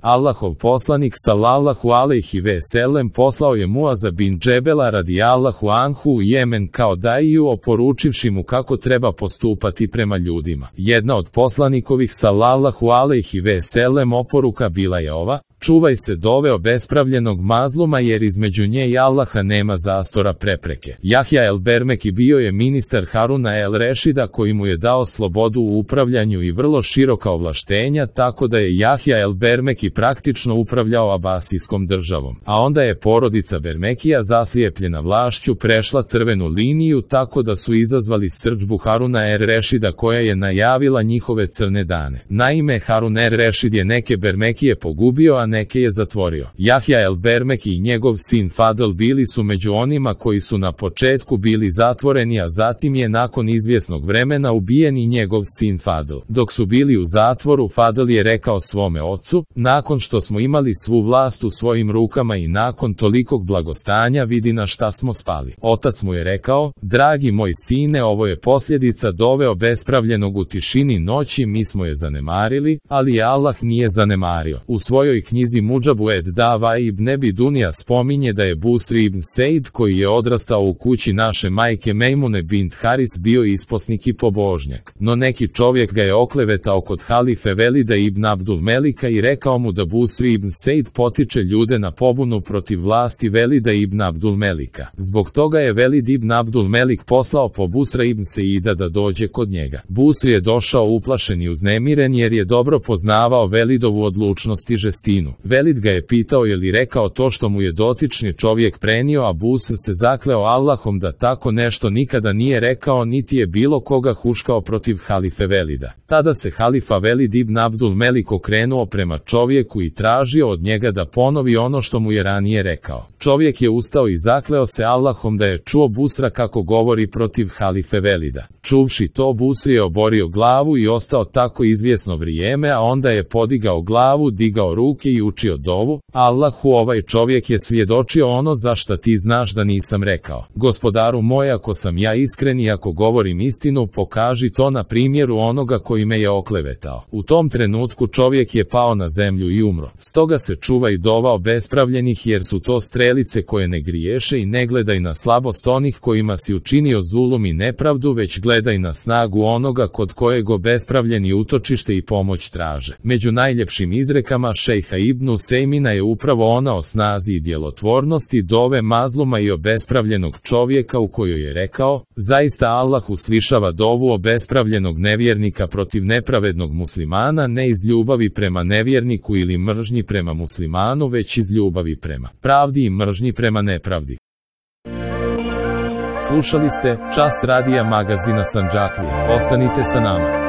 Allahov poslanik sallallahu alejhi ve sellem poslao je Muaza bin Džebela radijallahu anhu u Jemen kao daiju, oporučivši mu kako treba postupati prema ljudima. Jedna od poslanikovih sallallahu alejhi ve sellem oporuka bila je ova: čuvaj se dove obespravljenog mazluma, jer između nje i Allaha nema zastora prepreke. Jahja el Bermeki bio je ministar Haruna el Rešida, koji mu je dao slobodu u upravljanju i vrlo široka ovlaštenja, tako da je Jahja el Bermeki praktično upravljao Abasijskom državom. A onda je porodica Bermekija, zaslijepljena vlašću, prešla crvenu liniju, tako da su izazvali srdžbu Haruna el Rešida, koja je najavila njihove crne dane. Naime, Harun el Rešid je neke Bermekije pogubio, a neke je zatvorio. Jahja el Bermeki i njegov sin Fadl bili su među onima koji su na početku bili zatvoreni, a zatim je nakon izvjesnog vremena ubijen i njegov sin Fadl. Dok su bili u zatvoru, Fadl je rekao svome ocu: nakon što smo imali svu vlast u svojim rukama i nakon tolikog blagostanja, vidi na šta smo spali. Otac mu je rekao: dragi moj sine, ovo je posljedica dove obespravljenog u tišini noći, mi smo je zanemarili, ali je Allah nije zanemario. U svojoj knjizi Mudžabu ed Dava ibn Ebi Dunija spominje da je Busri ibn Sejd, koji je odrastao u kući naše majke Mejmune bint Haris, bio isposnik i pobožnjak. No neki čovjek ga je oklevetao kod halife Velida ibn Abdul Melika i rekao mu da Busri ibn Sejd potiče ljude na pobunu protiv vlasti Velida ibn Abdul Melika. Zbog toga je Velid ibn Abdul Melik poslao po Busra ibn Seida da dođe kod njega. Busri je došao uplašen i uznemiren, jer je dobro poznavao Velidovu odlučnost i žestinu. Velid ga je pitao je li rekao to što mu je dotični čovjek prenio, a Busr se zakleo Allahom da tako nešto nikada nije rekao, niti je bilo koga huškao protiv halife Velida. Tada se halifa Velid ibn Abdul Melik okrenuo prema čovjeku i tražio od njega da ponovi ono što mu je ranije rekao. Čovjek je ustao i zakleo se Allahom da je čuo Busra kako govori protiv halife Velida. Čuvši to, Busri je oborio glavu i ostao tako izvjesno vrijeme, a onda je podigao glavu, digao ruke i učio dovu: Allahu, ovaj čovjek je svjedočio ono za šta ti znaš da nisam rekao. Gospodaru moj, ako sam ja iskren i ako govorim istinu, pokaži to na primjeru onoga koji me je oklevetao. U tom trenutku čovjek je pao na zemlju i umro. Stoga se čuvaj dova obespravljenih, jer su to strelice koje ne griješe, i ne gledaj na slabost onih kojima si učinio zulum i nepravdu, već gledaj na snagu onoga kod kojeg obespravljeni utočište i pomoć traže. Među najljepšim izrekama šejha Ibnu Sejmina je upravo ona o snazi i djelotvornosti dove mazluma i obespravljenog čovjeka, u kojoj je rekao: zaista Allah uslišava dovu obespravljenog nevjernika protiv nepravednog muslimana, ne iz ljubavi prema nevjerniku ili mržnji prema muslimanu, već iz ljubavi prema pravdi i mržnji prema nepravdi. Slušali ste Čas radija magazina Sandžaklije. Ostanite sa nama.